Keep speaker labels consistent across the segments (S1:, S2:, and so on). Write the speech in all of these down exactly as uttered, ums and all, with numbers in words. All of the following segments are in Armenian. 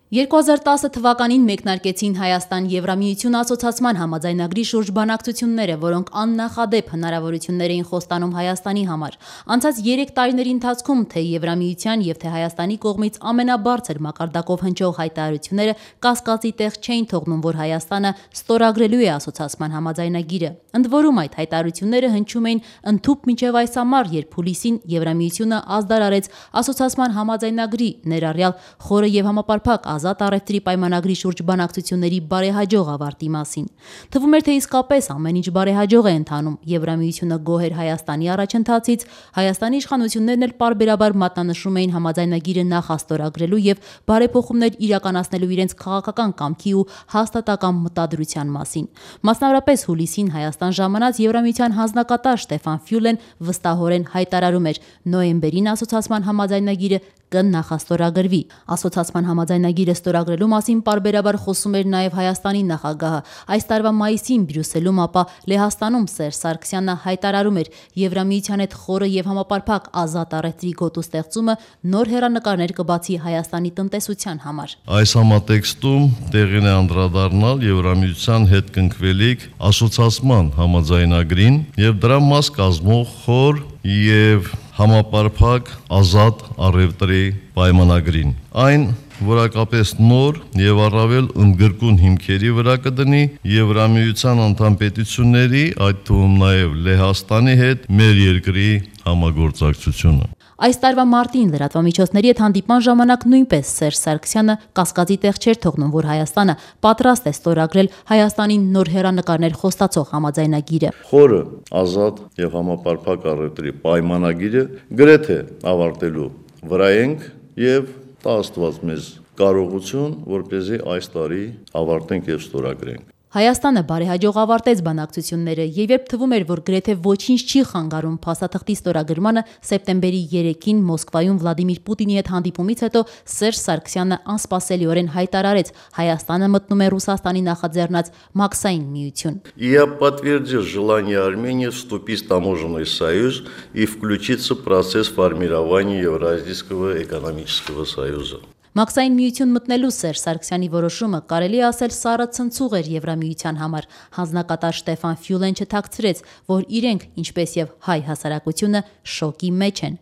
S1: երկու հազար տասը թվականին մեկնարկեցին Հայաստան-Եվրամիություն ասոցացման համաձայնագրի շուրջ բանակցությունները, որոնք աննախադեպ հնարավորություններ էին խոստանում Հայաստանի համար։ Անցած երեք տարիների ընթացքում թե Եվրամիության եւ թե Հայաստանի կողմից ամենաբարձր մակարդակով հնչող հայտարարությունները կասկածի տեղ չէին թողնում, որ Հայաստանը ստորագրելու է ասոցացման համաձայնագիրը։ Ընդ որում այդ հայտարարությունները հնչում էին ընդհուպ մինչև այս ամառ, երբ հուլիսին Եվրամիությունը ազդար արեց ասոցացման համաձայնագրի, ներառյալ խորը եւ համապարփակ ազատ առևտրի պայմանագրի շուրջ բանակցությունների բարեհաջող ավարտի մասին։ Թվում էր, թե իսկապես ամեն ինչ բարեհաջող է ընթանում։ Եվրամիությունը գոհ էր Հայաստանի առաջընթացից, Հայաստանի իշխանություններն էլ պարբերաբար մատնանշում էին համաձայնագիրը նախաստորագրելու եւ բարեփոխումներ իրականացնելու իրենց քաղաքական կամքի ու հաստատակամ մտադրության մասին։ Մասնավորապես հուլիսին Հայաստան ժամանած Եվրամիության հանձնակատար Ստեֆան Ֆյուլեն վստահորեն հայտարարում էր՝ նոյեմբերին ասոցացման համաձայնագիրը կնախաստորագրվի։ Ասոցացման համաձայնագիրը ստորագրելու մասին պարբերաբար խոսում էր նաև Հայաստանի նախագահը։ Այս տարվա մայիսին Բրյուսելում, ապա Լեհաստանում Սերժ Սարգսյանը հայտարարում էր՝ Եվրամիության հետ խորը եւ համապարփակ ազատ առևտրի գոտու ստեղծումը նոր հեռանկարներ կբացի Հայաստանի տնտեսության համար։
S2: Այս համատեքստում տեղին է անդրադառնալ Եվրամիության հետ կնքվելիք ասոցացման համաձայնագրին եւ դրա մաս կազմող խոր եւ համապարփակ ազատ առևտրի պայմանագրին։ Այն որակապես նոր եւ առավել ընդգրկուն հիմքերի վրա կդնի Եվրամիության անդամ պետությունների, այդ թվում նաեւ Լեհաստանի հետ մեր երկրի համագործակցությունը։
S1: Այս տարվա մարտին լրատվամիջոցների հետ հանդիպման ժամանակ նույնպես Սերժ Սարգսյանը կասկածի տեղ չէր թողնում, որ Հայաստանը պատրաստ է ստորագրել Հայաստանին նոր հեռանկարներ խոստացող համաձայնագիրը։
S2: Խորը, ազատ եւ համապարփակ առևտրի պայմանագիրը գրեթե ավարտելու վրա ենք եւ տա Աստված մեզ կարողություն, որպեսզի այս տարի ավարտենք եւ ստորագրենք։
S1: Հայաստանը բարեհաջող ավարտեց բանակցությունները եւ երբ թվում էր, որ գրեթե ոչինչ չի խանգարում փաստաթղթի ստորագրմանը, սեպտեմբերի երեկին Մոսկվայում Վլադիմիր Պուտինի հետ հանդիպումից հետո Սերժ Սարգսյանը անսպասելիորեն հայտարարեց՝ Հայաստանը մտնում է Ռուսաստանի նախաձեռնած Մաքսային միություն։
S2: Я подтвердил желание Армении вступить в таможенный союз и включиться в процесс формирования Евразийского экономического союза։
S1: Մաքսային միություն մտնելու Սերժ Սարգսյանի որոշումը կարելի է ասել սառը ցնցուղ էր Եվրամիության համար։ Հանձնակատար Ստեֆան Ֆյուլեն չթաքցրեց, որ իրենք, ինչպես եւ հայ հասարակությունը, շոկի մեջ են։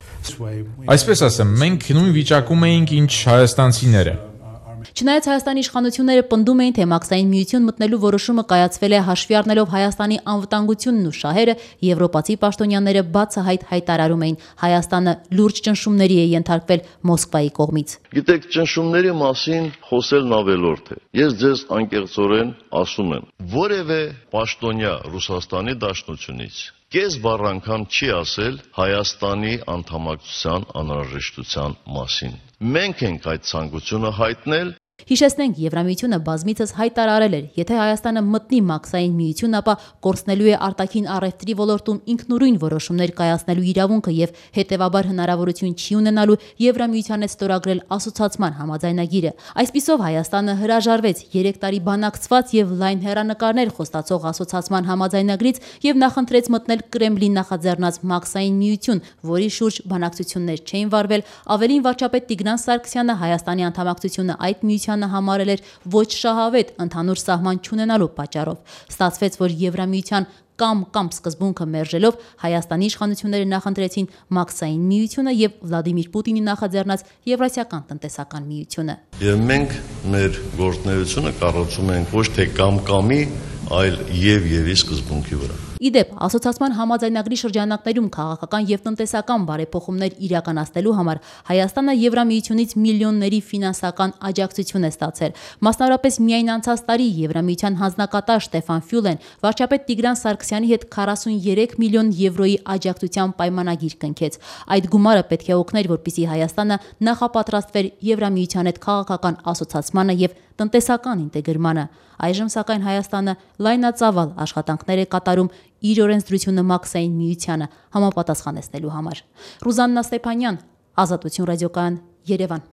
S3: Այսպես ասեմ, մենք նույն վիճակում էինք, ինչ հայաստանցիները։
S1: Չնայած Հայաստանի իշխանությունները պնդում էին, թե Մաքսային միություն մտնելու որոշումը կայացվել է հաշվի առնելով Հայաստանի անվտանգությունն ու շահերը, եվրոպացի պաշտոնյաները բացահայտ հայտարարում էին՝ Հայաստանը լուրջ ճնշումների է ենթարկվել Մոսկվայի կողմից։
S2: Գիտեք, ճնշումների մասին խոսելն ավելորդ է։ Ես ձեզ անկեղծորեն ասում եմ, որևէ պաշտոնյա Ռուսաստանի Դաշնությունից կես բառ անգամ չի ասել Հայաստանի անդամակցության անհրաժեշտության մասին։ Մենք ենք այդ ցանկությունը հայտնել։
S1: Հիշեցնենք, Եվրամիությունը բազմիցս հայտարարել էր, եթե Հայաստանը մտնի Մաքսային միություն, ապա կորցնելու է արտաքին առևտրի ոլորտում ինքնուրույն որոշումներ կայացնելու իրավունքը եւ հետեւաբար հնարավորություն չի ունենալու Եվրամիության հետ ստորագրել ասոցացման համաձայնագիրը։ Այսպիսով Հայաստանը հրաժարվեց երեք տարի բանակցված եւ լայն հեռանկարներ խոստացող ասոցացման համաձայնագրից եւ նախընտրեց մտնել Կրեմլի նախաձեռնած Մաքսային միություն, որի շուրջ բանակցություններ չէին վարվել, ավելին վարչապետ Տիգրան Սարգսյանը Հայաստանի անդամակցությունը այդ միությանը համարել էր ոչ շահավետ ընդհանուր սահման չունենալու պատճառով։ Ստացվեց, որ Եվրամիության կամ կամ սկզբունքը մերժելով Հայաստանի իշխանությունները նախընտրեցին Մաքսային միությունը եւ Վլադիմիր Պուտինի նախաձեռնած Եվրասիական տնտեսական միությունը։
S2: Եվ մենք մեր գործունեությունը կառուցում ենք ոչ թե կամ-կամի, այլ եւ-եւի սկզբունքի վրա։
S1: Իդեպ, ասոցացման համաձայնագրի շրջանակներում քաղաքական եւ տնտեսական բարեփոխումներ իրականացնելու համար Հայաստանը Եվրամիությունից միլիոնների ֆինանսական աջակցություն է ստացել։ Մասնավորապես միայն անցած տարի Եվրամիության հանձնակատար Ստեֆան Ֆյուլեն վարչապետ Տիգրան Սարգսյանի հետ քառասուներեք միլիոն եվրոյի աջակցության պայմանագիր կնքեց։ Այդ գումարը պետք է օգներ, որպեսզի Հայաստանը նախապատրաստվեր Եվրամիության հետ քաղաքական ասոցացմանը եւ տնտեսական ինտեգրմանը։ Այժմ սակայն Հայաստանը լայնածավալ աշխատանքներ է կատարում իր օրենսդրությունը Մաքսային միությանը համապատասխանեցնելու համար։ Ռուզաննա Ստեփանյան, Ազատություն ռադիոկայան, Երևան։